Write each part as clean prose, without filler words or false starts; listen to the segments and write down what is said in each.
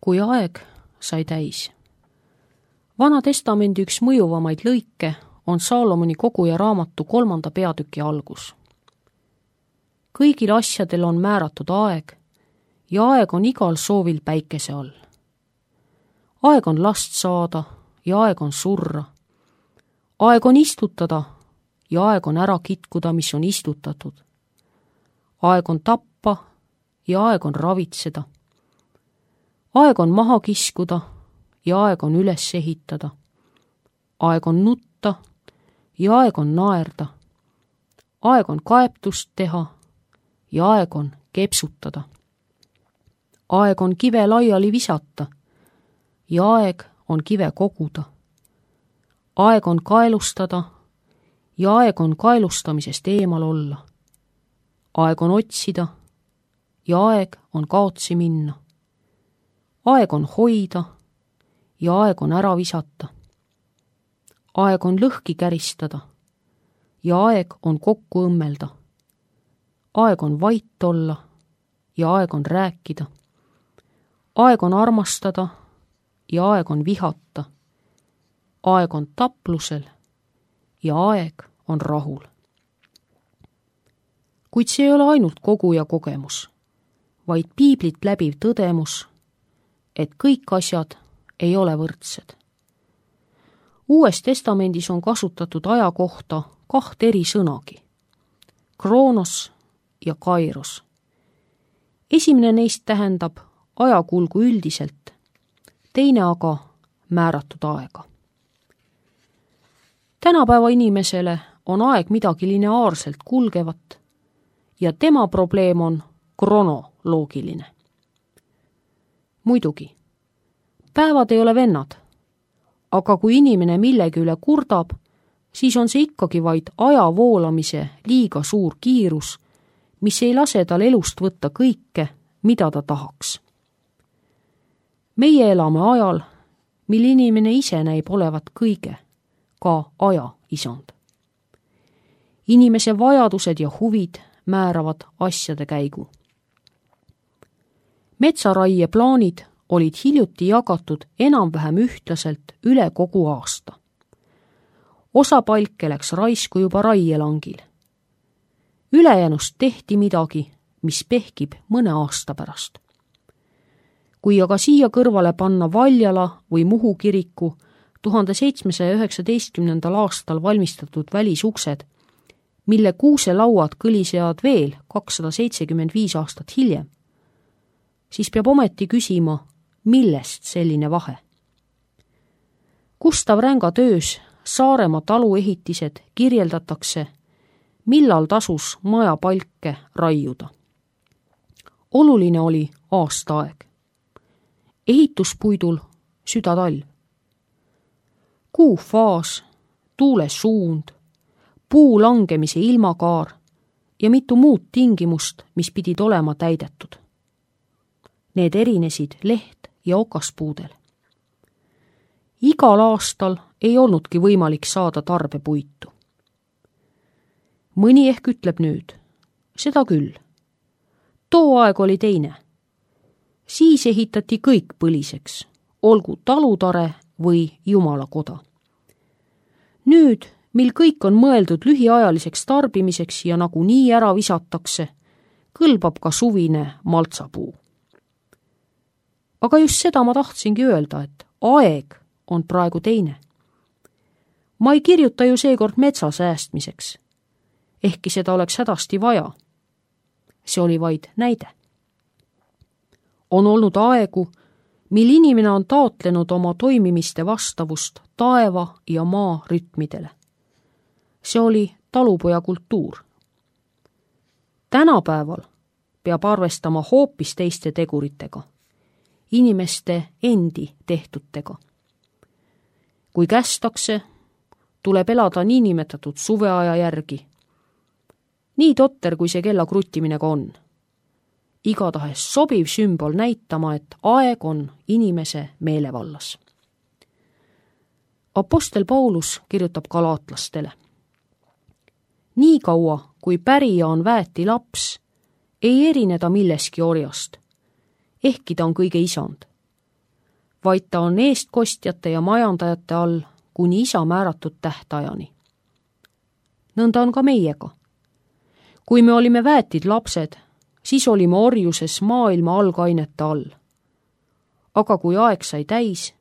kui aeg sai täis. Vana testamendi üks mõjuvamaid lõike on Saalomoni koguja raamatu 3. peatüki algus. Kõigil asjadel on määratud aeg ja aeg on igal soovil päikese all. Aeg on last saada ja aeg on surra. Aeg on istutada ja aeg on ära kitkuda, mis on istutatud. Aeg on tappa ja aeg on ravitseda. Aeg on maha kiskuda ja aeg on üles ehitada. Aeg on nutta ja aeg on naerda. Aeg on kaebtust teha ja aeg on kepsutada. Aeg on kive laiali visata ja aeg on kive koguda. Aeg on kaelustada ja aeg on kaelustamisest eemal olla. Aeg on otsida ja aeg on kaotsi minna. Aeg on hoida ja aeg on ära visata. Aeg on lõhki käristada ja aeg on kokku õmmelda. Aeg on vait olla ja aeg on rääkida. Aeg on armastada ja aeg on vihata. Aeg on taplusel ja aeg on rahul. Kuid see ei ole ainult koguja kogemus, vaid piiblit läbiv tõdemus, et kõik asjad ei ole võrdsed. Uues testamendis on kasutatud aja kohta 2 eri sõnagi, kroonos ja kairos. Esimene neist tähendab ajakulgu üldiselt, teine aga määratud aega. Tänapäeva inimesele on aeg midagi lineaarselt kulgevat ja tema probleem on kronoloogiline. Muidugi, päevad ei ole vennad, aga kui inimene millegi üle kurdab, siis on see ikkagi vaid aja voolamise liiga suur kiirus, mis ei lase tal elust võtta kõike, mida ta tahaks. Meie elame ajal, mil inimene ise näib olevat kõige, ka aja isand. Inimese vajadused ja huvid määravad asjade käigu. Metsaraie plaanid olid hiljuti jagatud enam-vähem ühtlaselt üle kogu aasta. Osa palke läks raisku juba raielangil. Ülejäänust tehti midagi, mis pehkib mõne aasta pärast. Kui aga siia kõrvale panna Valjala või Muhu kiriku 1719. aastal valmistatud välisuksed, mille kuuselauad kõlisevad veel 275 aastat hiljem, siis peab ometi küsima, millest selline vahe. Gustav Ränga töös Saaremaa taluehitised kirjeldatakse, millal tasus maja palke raiuda. Oluline oli aastaaeg. Ehituspuidul südatalv. Kuu faas, tuule suund, puu langemise ilmakaar ja mitu muud tingimust, mis pidid olema täidetud. Need erinesid leht- ja okaspuudel. Igal aastal ei olnudki võimalik saada tarbepuitu. Mõni ehk ütleb nüüd, seda küll. Too aeg oli teine. Siis ehitati kõik põliseks, olgu talutare või jumalakoda. Nüüd, mil kõik on mõeldud lühiajaliseks tarbimiseks ja nagunii ära visatakse, kõlbab ka suvine maltsapuu. Aga just seda ma tahtsingi öelda, et aeg on praegu teine. Ma ei kirjuta ju seekord metsa säästmiseks, ehkki seda oleks hädasti vaja. See oli vaid näide. On olnud aegu, mil inimene on taotlenud oma toimimiste vastavust taeva ja maa rütmidele. See oli talupoja kultuur. Tänapäeval peab arvestama hoopis teiste teguritega, inimeste endi tehtutega. Kui kästakse, tuleb elada niinimetatud suveaja järgi. Nii totter, kui see kella kruttimine ka on. Igatahes sobiv sümbol näitama, et aeg on inimese meelevallas. Apostel Paulus kirjutab galaatlastele. Nii kaua, kui pärija on väeti laps, ei erine ta milleski orjast, ehkki ta on kõige isand. vaid ta on eestkostjate ja majandajate all kuni isa määratud tähtajani. Nõnda on ka meiega. Kui me olime väetid lapsed, siis olime orjuses maailma algainete all. Aga kui aeg sai täis,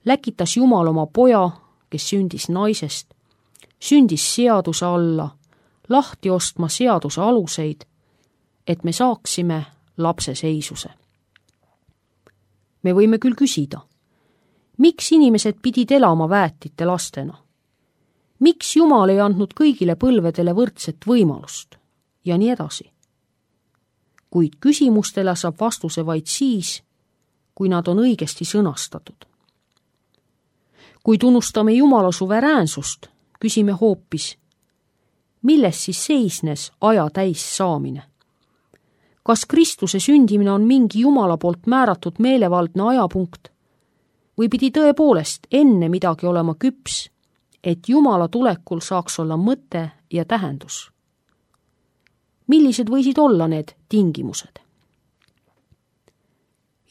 läkitas Jumal oma poja, kes sündis naisest, sündis seaduse alla, lahti ostma seaduse aluseid, et me saaksime lapseseisuse. Me võime küll küsida, miks inimesed pidid elama väetite lastena? Miks Jumal ei andnud kõigile põlvedele võrdset võimalust? Ja nii edasi. Kuid küsimustele saab vastuse vaid siis, kui nad on õigesti sõnastatud. Kui tunnustame Jumala suveräänsust, küsime hoopis, milles siis seisnes aja täis saamine? Kas Kristuse sündimine on mingi Jumala poolt määratud meelevaldne ajapunkt või pidi tõepoolest enne midagi olema küps, et Jumala tulekul saaks olla mõte ja tähendus? Millised võisid olla need tingimused?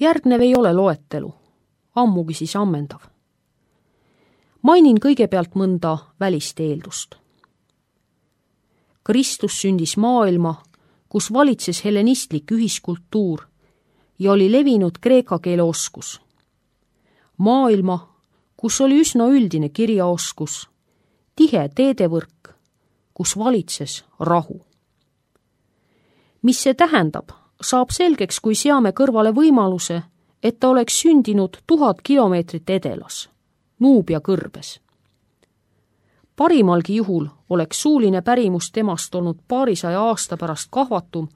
Järgnev ei ole loetelu, ammugi siis ammendav. Mainin kõigepealt mõnda välist eeldust. Kristus sündis maailma, kus valitses hellenistlik ühiskultuur ja oli levinud kreeka keele oskus. Maailma, kus oli üsna üldine kirjaoskus, tihe teedevõrk, kus valitses rahu. Mis see tähendab, saab selgeks, kui seame kõrvale võimaluse, et ta oleks sündinud 1000 kilomeetrit edelas, Nuubia kõrbes. Parimalgi juhul oleks suuline pärimus temast olnud paarisaja aasta pärast kahvatum,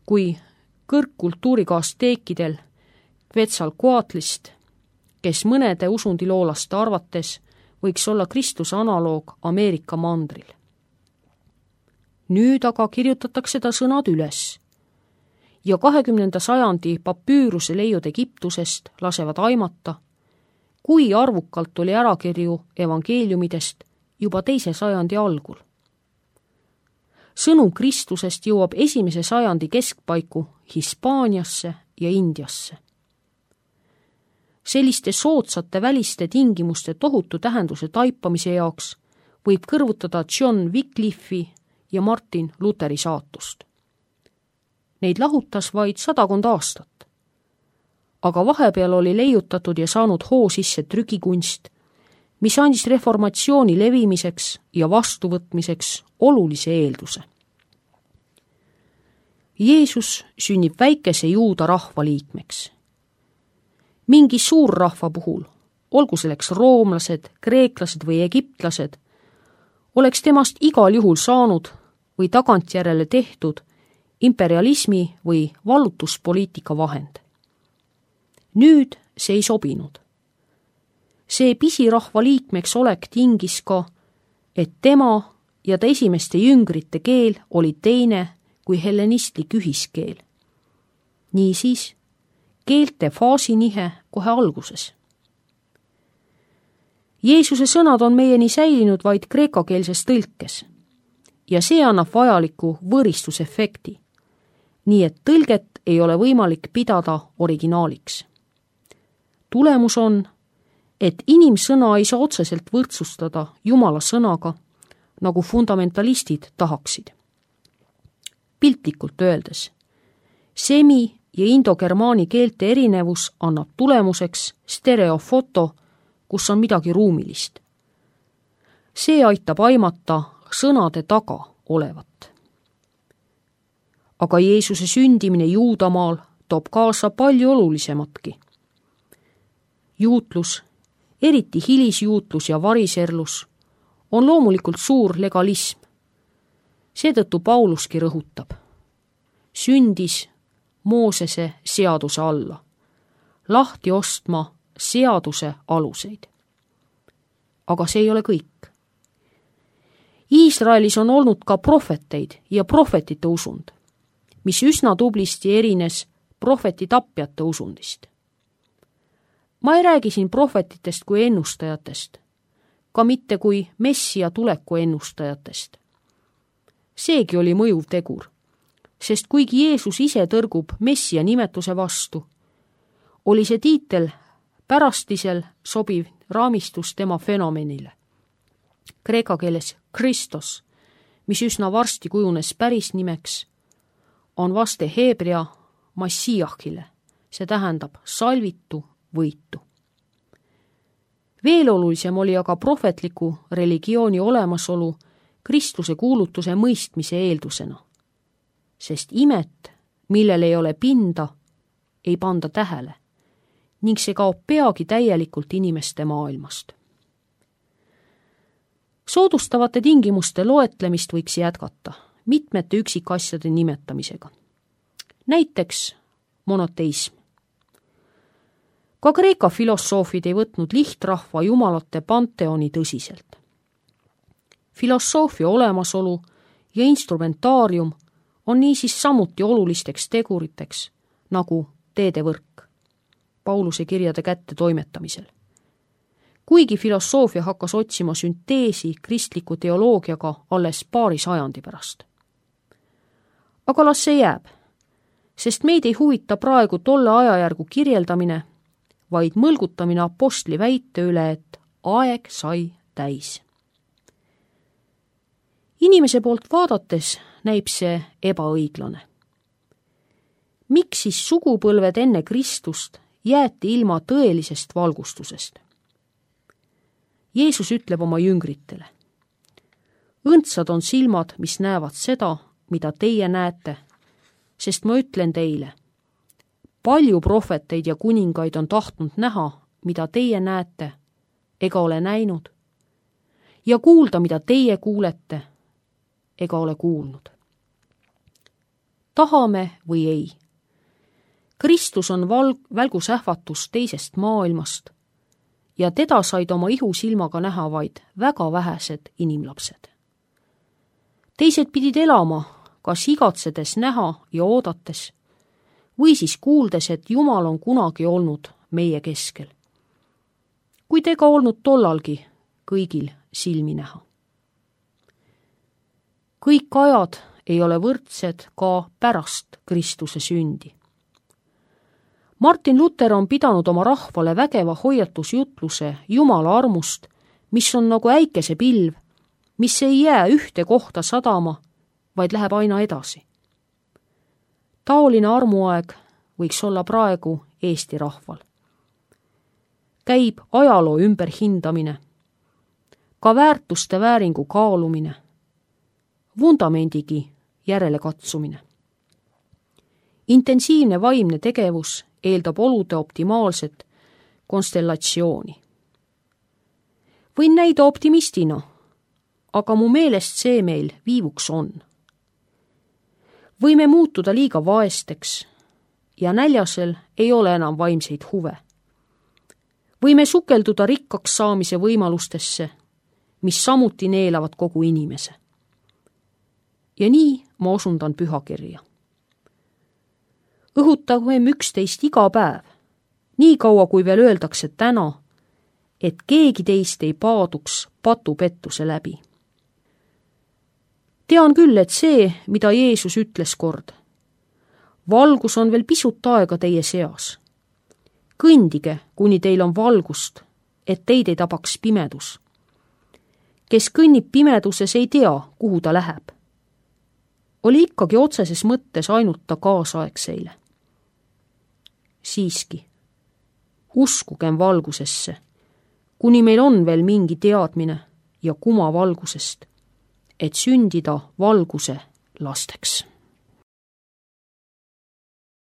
kui kõrgkultuuriga asteekidel Quetzalcoatlist, kes mõnede usundiloolaste arvates võiks olla Kristuse analoog Ameerika mandril. Nüüd aga kirjutatakse ta sõnad üles ja 20. sajandi papüüruse leiud Egiptusest lasevad aimata, kui arvukalt oli ärakirju evangeeliumidest juba 2. sajandi algul. Sõnum Kristusest jõuab 1. sajandi keskpaiku Hispaaniasse ja Indiasse. Selliste soodsate väliste tingimuste tohutu tähenduse taipamise jaoks võib kõrvutada John Wycliffe'i ja Martin Lutheri saatust. Neid lahutas vaid 100 aastat. Aga vahepeal oli leiutatud ja saanud hoo sisse trükikunst, mis andis reformatsiooni levimiseks ja vastuvõtmiseks olulise eelduse. Jeesus sünnib väikese juuda rahva liikmeks. Mingi suurrahva puhul, olgu selleks roomlased, kreeklased või egiptlased, oleks temast igal juhul saanud või tagantjärele tehtud imperialismi või vallutuspoliitika vahend. Nüüd see ei sobinud. See pisirahva liikmeks olek tingis ka, et tema ja ta esimeste jüngrite keel oli teine kui hellenistlik ühiskeel. Niisiis, keelte faasinihe kohe alguses. Jeesuse sõnad on meieni säilinud vaid kreekakeelses tõlkes ja see annab vajaliku võristusefekti, nii et tõlget ei ole võimalik pidada originaaliks. Tulemus on, et inimsõna ei saa otseselt võrdsustada Jumala sõnaga, nagu fundamentalistid tahaksid. Piltlikult öeldes, semi- ja indogermaani keelte erinevus annab tulemuseks stereofoto, kus on midagi ruumilist. See aitab aimata sõnade taga olevat. Aga Jeesuse sündimine Juudamaal toob kaasa palju olulisematki. Juutlus, eriti hilisjuutlus ja variserlus, on loomulikult suur legalism. Seetõttu Pauluski rõhutab. Sündis Moosese seaduse alla, lahti ostma seaduse aluseid. Aga see ei ole kõik. Iisraelis on olnud ka prohveteid ja prohvetite usund, mis üsna tublisti erines prohveti tapjate usundist. Ma ei räägi siin prohvetitest kui ennustajatest, ka mitte kui Messia tuleku ennustajatest. Seegi oli mõjuv tegur, sest kuigi Jeesus ise tõrgub Messia nimetuse vastu, oli see tiitel pärastisel sobiv raamistus tema fenomenile. Kreeka keeles Kristos, mis üsna varsti kujunes päris nimeks, on vaste heebrea Massiahile, see tähendab salvitu, võitu. Veel olulisem oli aga prohvetliku religiooni olemasolu Kristuse kuulutuse mõistmise eeldusena, sest imet, millel ei ole pinda, ei panda tähele ning see kaob peagi täielikult inimeste maailmast. Soodustavate tingimuste loetlemist võiks jätkata mitmete üksikasjade nimetamisega. Näiteks monoteism. Ka Kreeka filosoofid ei võtnud lihtrahva jumalate panteoni tõsiselt. Filosoofia olemasolu ja instrumentaarium on niisiis samuti olulisteks teguriteks nagu teedevõrk Pauluse kirjade kätte toimetamisel. Kuigi filosoofia hakkas otsima sünteesi kristliku teoloogiaga alles paari sajandi pärast. Aga las see jääb, sest meid ei huvita praegu tolle ajajärgu kirjeldamine, vaid mõlgutamine apostli väite üle, et aeg sai täis. Inimese poolt vaadates näib see ebaõiglane. Miks siis sugupõlved enne Kristust jäeti ilma tõelisest valgustusest? Jeesus ütleb oma jüngritele: õndsad on silmad, mis näevad seda, mida teie näete, sest ma ütlen teile, palju prohveteid ja kuningaid on tahtnud näha, mida teie näete, ega ole näinud, ja kuulda, mida teie kuulete, ega ole kuulnud. Tahame või ei. Kristus on välgusähvatus teisest maailmast ja teda said oma ihusilmaga näha vaid väga vähesed inimlapsed. Teised pidid elama, kas igatsedes näha ja oodates, või siis kuuldes, et Jumal on kunagi olnud meie keskel. Kuid ega olnud tollalgi kõigil silmi näha. Kõik ajad ei ole võrdsed ka pärast Kristuse sündi. Martin Luther on pidanud oma rahvale vägeva hoiatusjutluse Jumala armust, mis on nagu äikesepilv, mis ei jää ühte kohta sadama, vaid läheb aina edasi. Taoline armuaeg võiks olla praegu Eesti rahval. Käib ajaloo ümberhindamine, ka väärtuste vääringu kaalumine, vundamendigi järele katsumine. Intensiivne vaimne tegevus eeldab olude optimaalset konstellatsiooni. Võin näida optimistina, aga mu meelest see meil viivuks on. Võime muutuda liiga vaesteks ja näljasel ei ole enam vaimseid huve. Võime sukelduda rikkaks saamise võimalustesse, mis samuti neelavad kogu inimese. Ja nii ma osundan pühakirja. Õhutagem üksteist iga päev, nii kaua kui veel öeldakse täna, et keegi teist ei paaduks patupettuse läbi. Tean küll, et see, mida Jeesus ütles kord, valgus on veel pisut aega teie seas. Kõndige, kuni teil on valgust, et teid ei tabaks pimedus. Kes kõnnib pimeduses, ei tea, kuhu ta läheb. Oli ikkagi otseses mõttes ainult ta kaasaegseile. Siiski, uskugem valgusesse, kuni meil on veel mingi teadmine ja kuma valgusest, et sündida valguse lasteks.